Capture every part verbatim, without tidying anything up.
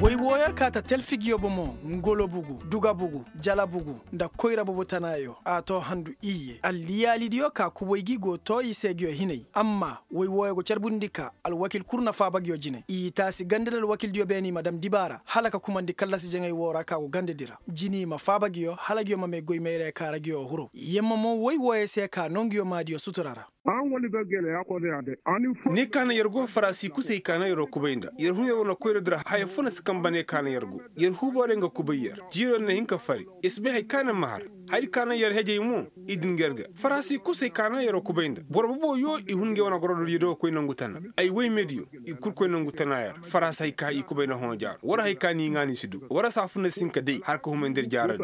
Woy wooyo ka ta telfigiyo bomo, ngolo bugu, duga bugu, jala bugu, nda koyra bobo tanaayo a too handu iyye alliyaalidiyo ka kuboy gi go too i se ngiyo hinay. Amma woy wooyo go carbundi ka alwakil kul na faaba ngiyo jine i taasi ganda nda alwakildiyo beene i ma dam dibaara hala ka kumandi kallasi jaŋay woo ra ka go gandadi ra. Jini i ma faaba ngiyo hala ngiyo ma may goy mayray ka ra ngiyo huro yemma mo woy wooyo se ka noo ngiyo maadiyo sutura ra. Ni kaana yer go farasi kusay kaana yeroo kubay nda yer hun yer wane koyradi ra haya fo na si kamba ne kaana yer go. Yer huuboorey nga kubay yer jiiroo na hin ka fari. Yer si bay hay kaana ma har. Hayadi kaana yer hejey mo i din ga yer ga farasi kusay kaana yeroo kubay nda boro boboyo i hun ngey wane gorododiyo do koy nangu tana. Ay woy mediyo i kul koy nangu tana yer farasi hay ka i kubay nda hõ jaaro war hay ka ni ŋaa ni si du war saafu na si hin ka day har ka humay nda yer jaaradi.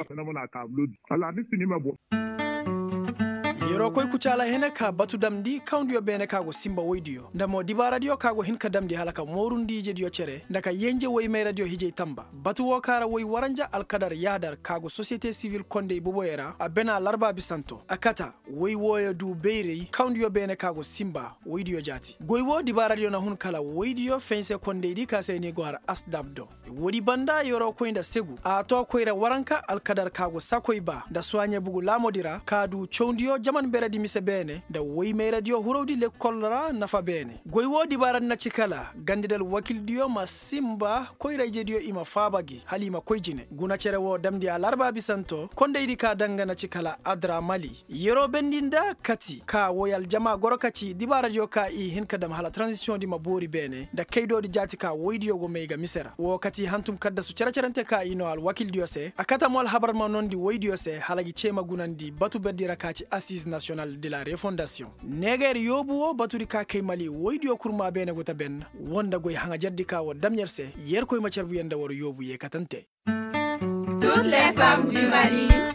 Yeroo koy kucaala hene ka batu damndi kawndiyo beene ka go sinba woydiyo nda mo dibaaradiyo ka go hin ka damndi hala ka moorundi ijediyo cere nda ka yenje woy mayradiyo hijay tamba. Batu woo ka ra woy waranja alkadar yaadar ka go sosiyete sivil kondey boboyo ra a bena larba bisanto a kata. Woy wooyo du bayray kawndiyo beene ka go sinba woydiyo jaati goy woo dibaaradiyo na hun kala woydiyo fense kondeydi ka se ni go har asdab do. Woodi banda yeroo koy nda segu a too koyra waranka alkadar ka go sakoy ba nda suwaaɲe bugu laamodi ra ka du cawndiyo jaman beredi mise beene nda woy mayradiyo hurowdi lekkol ra nafa beene. Goy woo dibaaradi na ci kala gandadi alwakildiyo ma sinba koyra ijediyo i ma faaba gi hala i ma koy jine guna cere woo damndi alarba bisanto kondaydi ka danga na ci kala adra mali. Yeroo bendi nda kati ka woy aljama goro ka ci dibaaradiyo ka i hin ka dam hala taranzisiyoŋdi ma boori beene nda kaydoodi jaati ka woydiyo go may ga mise ra woo kati hantum kaddasu cere-cerente ka i noo alwakildiyo se a kata mo alhabar ma noondi woydiyo se hala gi cee ma gunandi batu berdi ra ka ci assize nasiyonal de la refondasiyoŋ. Neegeer yoobu woo batudi ka kay mali woydiyo kurmaa beene go ta ben. Woo nda goy haŋajerdi ka war dam yer se yerkoy ma carbu yer nda war yoobu yeekatante. Tuut le fam di mali.